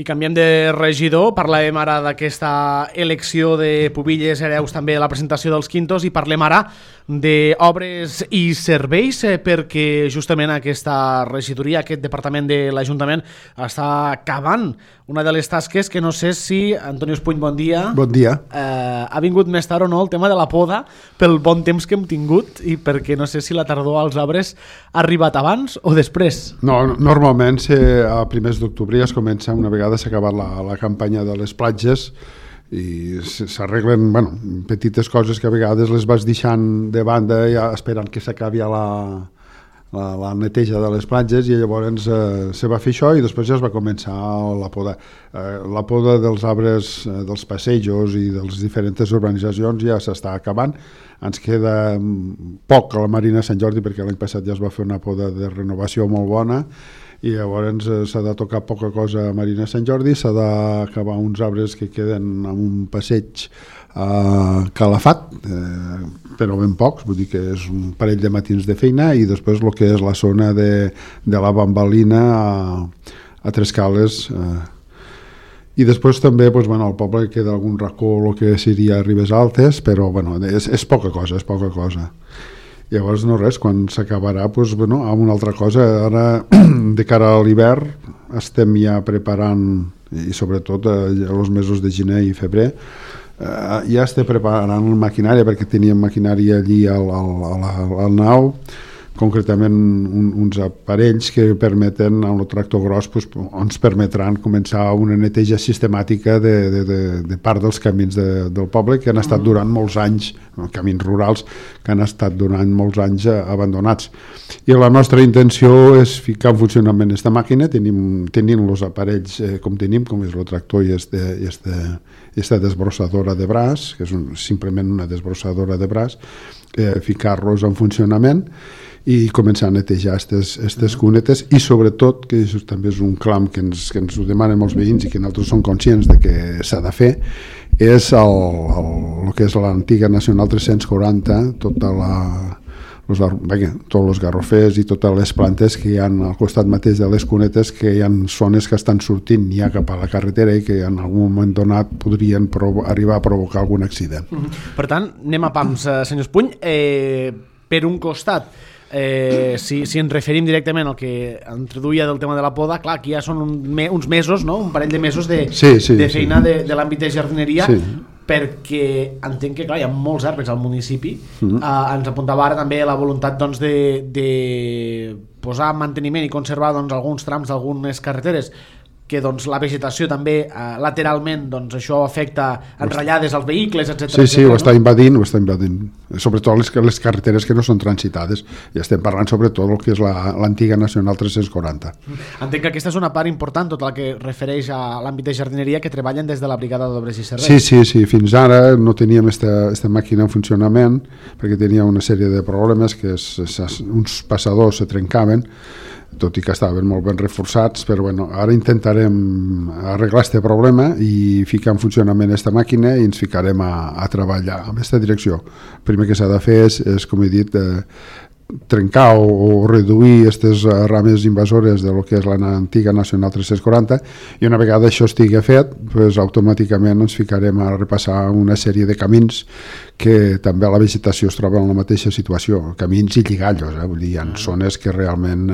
I canviem de regidor, parlem ara d'aquesta elecció de pubilles hereus, també la presentació dels quintos, i parlem ara d'obres i serveis, perquè justament aquesta regidoria, aquest departament de l'Ajuntament, està acabant una de les tasques que no sé si, Antoni Espuny, bon dia. Bon dia. Ha vingut més tard o no el tema de la poda pel bon temps que hem tingut i perquè no sé si la tardor als arbres ha arribat abans o després. No, normalment a primers d'octubre ja es comença, una vegada s'ha acabat la campanya de les platges, i s'arreglen petites coses que a vegades les vas deixant de banda ja esperant que s'acabi la neteja de les platges, i llavors se va fer això i després ja es va començar la poda. La poda dels arbres dels passejos i de les diferents urbanitzacions ja s'està acabant. Ens queda poc a la Marina Sant Jordi perquè l'any passat ja es va fer una poda de renovació molt bona, i llavors s'ha de tocar poca cosa a Marina Sant Jordi, s'ha d'acabar uns arbres que queden amb un passeig calafat, però ben pocs, vull dir que és un parell de matins de feina, i després el que és la zona de la bambalina a Tres Cales, i després també al poble queda algun racó, el que seria Ribes Altes, però és poca cosa, Llavors no res, quan s'acabarà amb una altra cosa. Ara, de cara a l'hivern, estem ja preparant, i sobretot els mesos de gener i febrer, ja estem preparant maquinària, perquè teníem maquinària allí al nau, concretament uns aparells que permeten, amb el tractor gros, ens permetran començar una neteja sistemàtica de part dels camins del poble que han estat durant molts anys, camins rurals que han estat durant molts anys abandonats. I la nostra intenció és ficar en funcionament aquesta màquina, tenint els aparells com tenim, com és el tractor i aquesta desbrossadora de braç, que és simplement una desbrossadora de braç, ficar-los en funcionament i començar a netejar aquestes cunetes, i sobretot, que això també és un clam que ens ho demanen molts veïns i que nosaltres som conscients de que s'ha de fer, és el que és l'antiga Nacional 340, tots els garrofers i totes les plantes que hi ha al costat mateix de les cunetes, que hi ha zones que estan sortint ja cap a la carretera i que en algun moment donat podrien arribar a provocar algun accident. Per tant, anem a pams, senyor Espuny. Per un costat, si ens referim directament al que introduïa del tema de la poda, clar, aquí ja són uns mesos, no? Un parell de mesos de feina de l'àmbit de jardineria, perquè entenc que clar, hi ha molts arbres al municipi. Ens apuntava ara també la voluntat de posar en manteniment i conservar alguns trams d'algunes carreteres que la vegetació també lateralment això afecta enrotllades als vehicles, etc. Sí, ho està invadint, sobretot les carreteres que no són transitades, i estem parlant sobretot del que és l'antiga Nacional 340. Entenc que aquesta és una part important, tot el que refereix a l'àmbit de jardineria, que treballen des de la Brigada d'Obres i Serveis. Sí, fins ara no teníem aquesta màquina en funcionament perquè tenia una sèrie de problemes, que uns passadors se trencaven, tot i que estaven molt ben reforçats, però ara intentarem arreglar aquest problema i ficar en funcionament aquesta màquina, i ens ficarem a treballar en aquesta direcció. El primer que s'ha de fer és com he dit, trencar o reduir aquestes rames invasores de lo que és l'antiga Nacional 340, i una vegada això estigui fet, automàticament ens ficarem a repassar una sèrie de camins que també la vegetació es troba en la mateixa situació, camins i lligallos, vull dir, hi ha zones que realment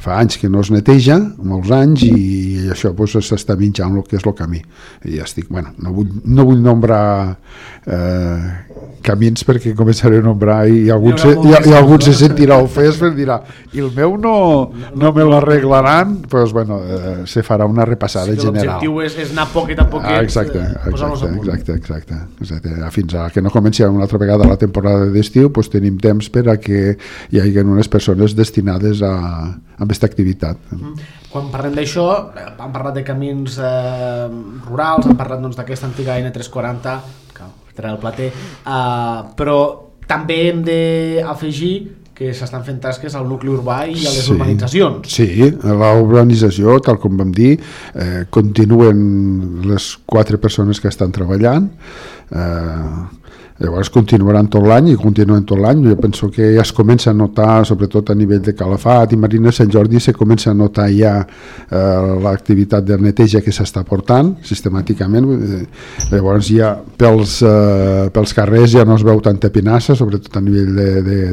fa anys que no es neteja, molts anys, i això s'està menjant el que és el camí. I ja estic, no vull nombrar camins perquè començaré a nombrar i alguns se sentirà ofès perquè dirà, i el meu no me l'arreglaran, se farà una repassada general. L'objectiu és anar poquet a poquet, posar-los a punt. Exacte. Fins a que no comenci una altra vegada la temporada d'estiu, tenim temps per a que hi hagi unes persones destinades a aquesta activitat. Quan parlem d'això, hem parlat de camins rurals, hem parlat d'aquesta antiga N340, que era el plater, però també hem d'afegir que s'estan fent tasques al nucli urbà i a les urbanitzacions. Sí, a la urbanització, tal com vam dir, continuen les 4 persones que estan treballant. Llavors continuaran tot l'any i continuen tot l'any. Jo penso que ja es comença a notar, sobretot a nivell de Calafat i Marina Sant Jordi, se comença a notar ja l'activitat de neteja que s'està portant sistemàticament. Llavors ja pels carrers ja no es veu tanta pinassa, sobretot a nivell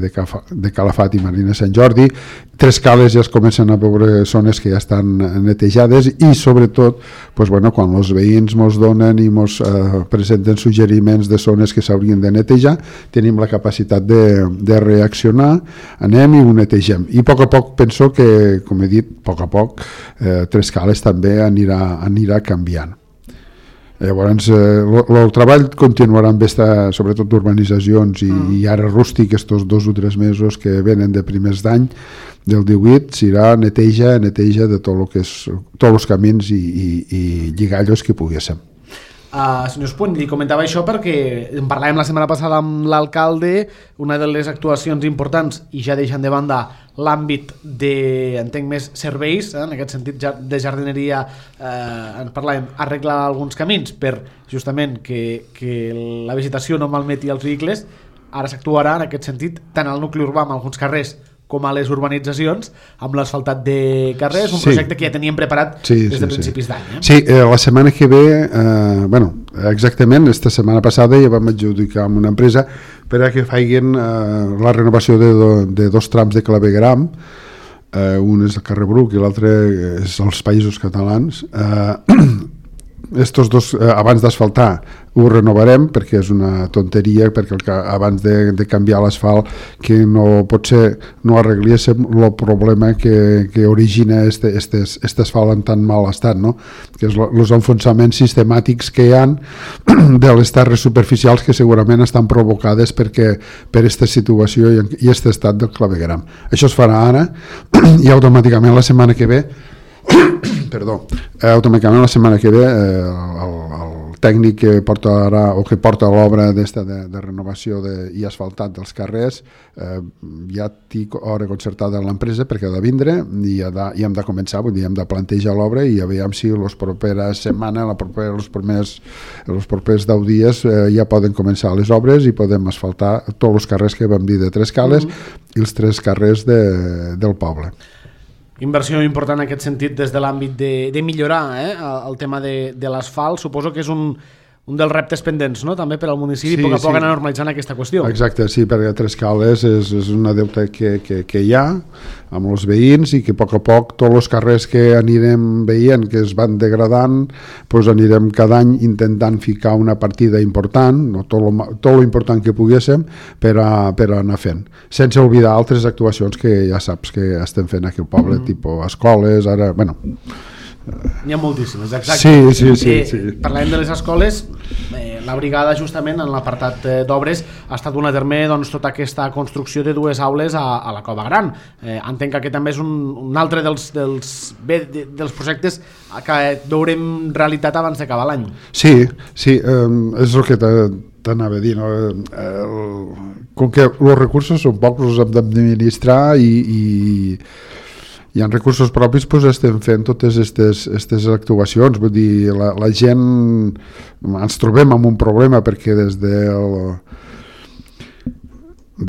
de Calafat i Marina Sant Jordi. Tres Cales ja es comencen a veure zones que ja estan netejades i sobretot quan els veïns ens donen i ens presenten suggeriments de zones que s'haurien de netejar, tenim la capacitat de reaccionar, anem i ho netegem. I a poc penso que, com he dit, a poc Tres Cales també anirà canviant. Llavors el treball continuarà amb sobretot d'urbanitzacions i ara rústic, estos 2 o 3 mesos que venen de primers d'any del 18 serà neteja de tot el que és tots els camins i lligallos que poguéssim. Senyor Espuny, li comentava això perquè en parlàvem la setmana passada amb l'alcalde. Una de les actuacions importants, i ja deixant de banda l'àmbit de, entenc, més serveis, en aquest sentit de jardineria, en parlàvem, arreglar alguns camins per justament que la vegetació no malmeti els vehicles. Ara s'actuarà en aquest sentit tant al nucli urbà, en alguns carrers, com a les urbanitzacions, amb l'asfaltat de carrers, un projecte que ja teníem preparat des de principis d'any. Sí, la setmana que ve, exactament, esta setmana passada ja vam adjudicar amb una empresa per a que facin la renovació de 2 trams de clavegram, un és el carrer Bruc i l'altre és els Països Catalans. Estos 2, abans d'asfaltar, ho renovarem perquè és una tonteria, perquè abans de canviar l'asfalt que no arregléssim el problema que origina este asfalt en tan mal estat, no? Que és els enfonsaments sistemàtics que hi ha de les terres superficials que segurament estan provocades per aquesta situació i aquest estat del clavegueram. Això es farà ara i automàticament la setmana que ve automàticament la setmana que ve el tècnic que porta l'obra de renovació i asfaltat dels carrers ja té hora concertada amb l'empresa perquè ha de vindre i hem de començar, vull dir, hem de plantejar l'obra i a veure si les properes setmanes, els propers 10 dies ja poden començar les obres i podem asfaltar tots els carrers que vam dir de Tres Cales i els 3 carrers del poble. Inversió important en aquest sentit des de l'àmbit de millorar el tema de l'asfalt. Suposo que és un dels reptes pendents, no? També per al municipi, a poc anar normalitzant aquesta qüestió. Exacte, sí, perquè Tres Cales és una deuta que hi ha amb els veïns i que a poc tots els carrers que anirem veient que es van degradant, doncs anirem cada any intentant ficar una partida important, no, tot lo important que poguéssim per anar fent, sense oblidar altres actuacions que ja saps que estem fent aquí al poble, tipus escoles, ara, bueno... N'hi ha moltíssimes, exacte. Sí. Parlem de les escoles, la brigada justament en l'apartat d'obres ha estat dur a terme tota aquesta construcció de 2 aules a la Cova Gran. Entenc que aquest també és un altre dels projectes que veurem realitat abans d'acabar l'any. Sí, és el que t'anava a dir, no? Com que els recursos són pocs, els hem d'administrar i en recursos propis estem fent totes aquestes actuacions. Vull dir, la gent ens trobem amb un problema perquè des de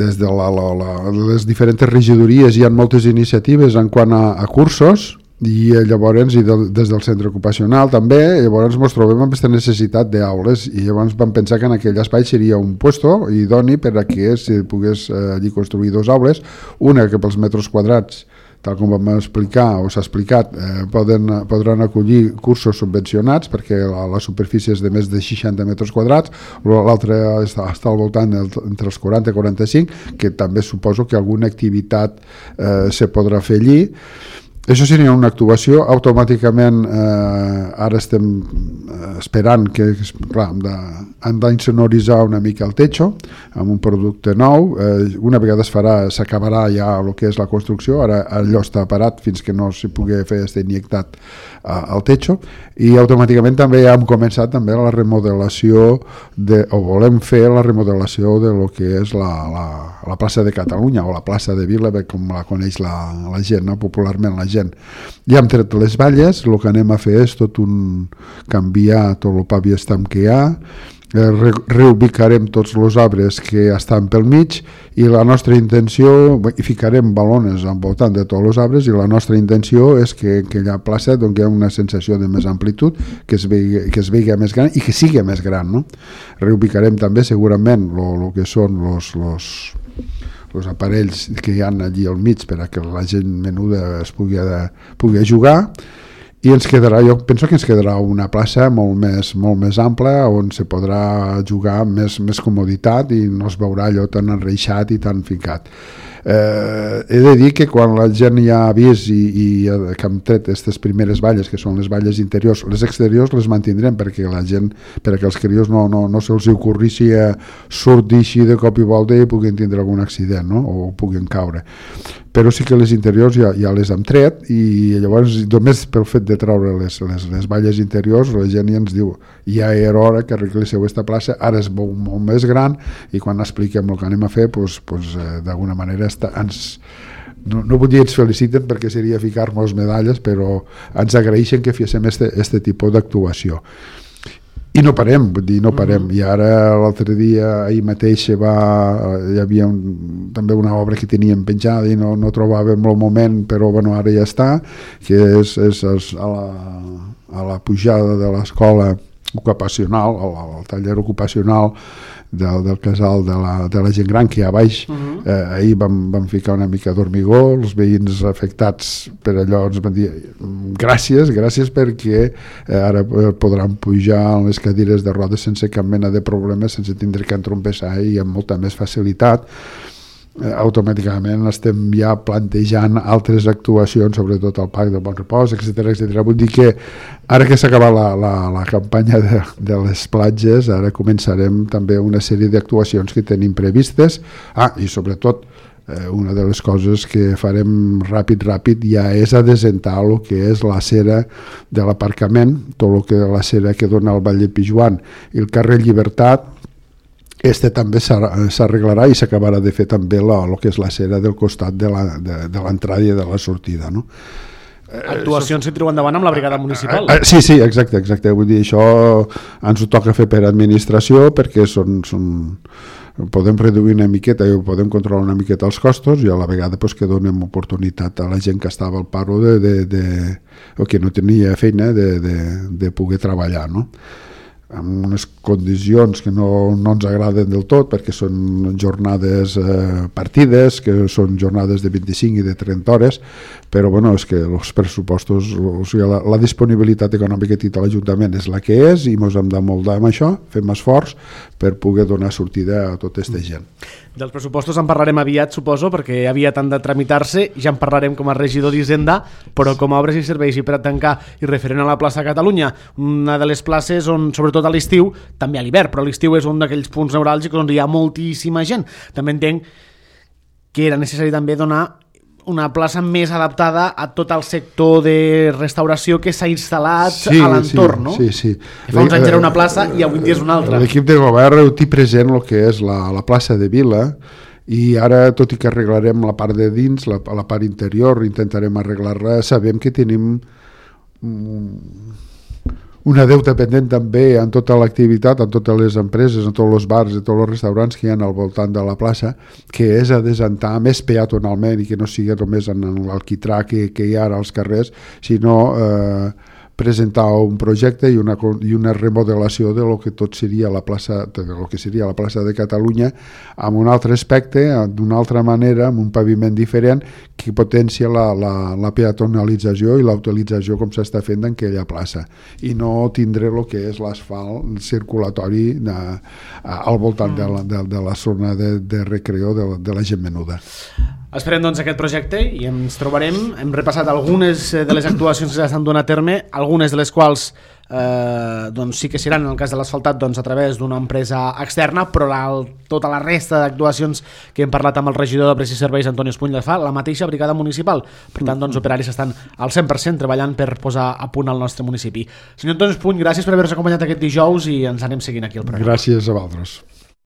les diferents regidories hi ha moltes iniciatives en quant a cursos i llavors des del centre ocupacional també, llavors ens trobem amb aquesta necessitat d'aules i llavors vam pensar que en aquell espai seria un puesto idoni per a que si pogués allí construir 2 aules, una que pels metres quadrats tal com vam explicar o s'ha explicat, podran acollir cursos subvencionats perquè la superfície és de més de 60 metres quadrats, l'altra està al voltant entre els 40 i 45, que també suposo que alguna activitat se podrà fer allí. Això seria una actuació. Automàticament ara estem esperant que, clar, han d'insonoritzar una mica el techo amb un producte nou. Una vegada s'acabarà ja el que és la construcció, ara allò està parat fins que no s'hi pugui fer este injectat al techo, i automàticament també ja hem començat també la remodelació o volem fer la remodelació de lo que és la plaça de Catalunya o la plaça de Vila, com la coneix la gent, no? Popularment la gent. Ja hem tret les valles, el que anem a fer és canviar tot el paviestam que hi ha reubicarem tots els arbres que estan pel mig i la nostra intenció, i ficarem balones al voltant de tots els arbres, i la nostra intenció és que aquella plaça doni una sensació de més amplitud, que es vegi més gran i que sigui més gran, no? Reubicarem també segurament el que són els aparells que hi ha allí al mig per a que la gent menuda es pugui jugar, i jo penso que ens quedarà una plaça molt més ampla on se podrà jugar amb més comoditat i no es veurà allò tan enreixat i tan ficat. He de dir que quan la gent ja ha vist i que hem tret aquestes primeres valles, que són les valles interiors, les exteriors les mantindrem perquè la gent, perquè els crios no se'ls ocorrissi sortir així de cop i volta i puguin tindre algun accident, no? O puguin caure. Però sí que les interiors ja les hem tret, i llavors només pel fet de treure les valles interiors la gent ja ens diu, ja era hora que arregléssiu aquesta plaça, ara es veu molt més gran, i quan expliquem el que anem a fer, d'alguna manera no vull dir ens feliciten perquè seria ficar-nos medalles, però ens agraeixen que féssim este tipus d'actuació. I no parem, i ara l'altre dia, ahir mateix hi havia també una obra que teníem penjada i no trobàvem el moment, però bueno, ara ja està, que és a la pujada de l'escola ocupacional, al taller ocupacional del casal de la gent gran, que hi ha a baix. Ahir vam ficar una mica d'hormigó, els veïns afectats per allò ens van dir gràcies perquè ara podran pujar en les cadires de rodes sense cap mena de problema, sense tindre que entrompessar i amb molta més facilitat. Automàticament estem ja plantejant altres actuacions, sobretot al Parc del Bon Repòs, etc. Vull dir que ara que s'ha acabat la campanya de les platges, ara començarem també una sèrie d'actuacions que tenim previstes. I sobretot una de les coses que farem ràpid ja és adesentar el que és la cera de l'aparcament, tot el que la cera que dona al Vall de Pijuan i el carrer Llibertat. També s'arreglarà i s'acabarà de fer també el que és la cera del costat de l'entrada i de la sortida, no? Actuacions que treuen endavant amb la brigada municipal. Sí, exacte. Vull dir, això ens ho toca fer per administració, perquè podem reduir una miqueta i podem controlar una miqueta els costos, i a la vegada que donem oportunitat a la gent que estava al paro o que no tenia feina de poder treballar, no? Amb unes condicions que no ens agraden del tot, perquè són jornades partides, que són jornades de 25 i de 30 hores, però bueno, és que els pressupostos, la disponibilitat econòmica que té l'Ajuntament és la que és, i ens hem de moldar amb això, fem esforç per poder donar sortida a tota aquesta gent. Dels pressupostos en parlarem aviat, suposo, perquè aviat han de tramitar-se, ja en parlarem com a regidor d'Hisenda, però com a obres i serveis i per a tancar i referent a la plaça Catalunya, una de les places on, sobretot a l'estiu, també a l'hivern, però l'estiu és un d'aquells punts neuràlgics on hi ha moltíssima gent. També entenc que era necessari també donar una plaça més adaptada a tot el sector de restauració que s'ha instal·lat a l'entorn, no? Sí. Que fa uns anys era una plaça i avui dia és una altra. L'equip de govern té present el que és la plaça de Vila, i ara, tot i que arreglarem la part de dins, la part interior, intentarem arreglar-la, sabem que tenim una deuta pendent també en tota l'activitat, en totes les empreses, en tots els bars, en tots els restaurants que hi ha al voltant de la plaça, que és adesentar més peatonalment i que no sigui només en l'alquitrà que hi ha ara als carrers, sinó presentar un projecte i una remodelació de lo que tot seria la plaça, de lo que seria la plaça de Catalunya, amb un altre aspecte, d'una altra manera, amb un paviment diferent que potencia la peatonalització i la utilització com s'està fent en aquella plaça, i no tindre el que és l'asfalt circulatori al voltant de la zona de recreo de la gent menuda. Esperem doncs aquest projecte i ens trobarem. Hem repassat algunes de les actuacions que s'estan donant a terme, algunes de les quals doncs sí que seran, en el cas de l'asfaltat, doncs a través d'una empresa externa, però tota la resta d'actuacions que hem parlat amb el regidor de Obres i Serveis, Antoni Espuny, la fa la mateixa brigada municipal. Per tant, doncs, operaris estan al 100% treballant per posar a punt el nostre municipi. Senyor Antoni Espuny, gràcies per haver-nos acompanyat aquest dijous i ens anem seguint aquí al programa. Gràcies a vosaltres.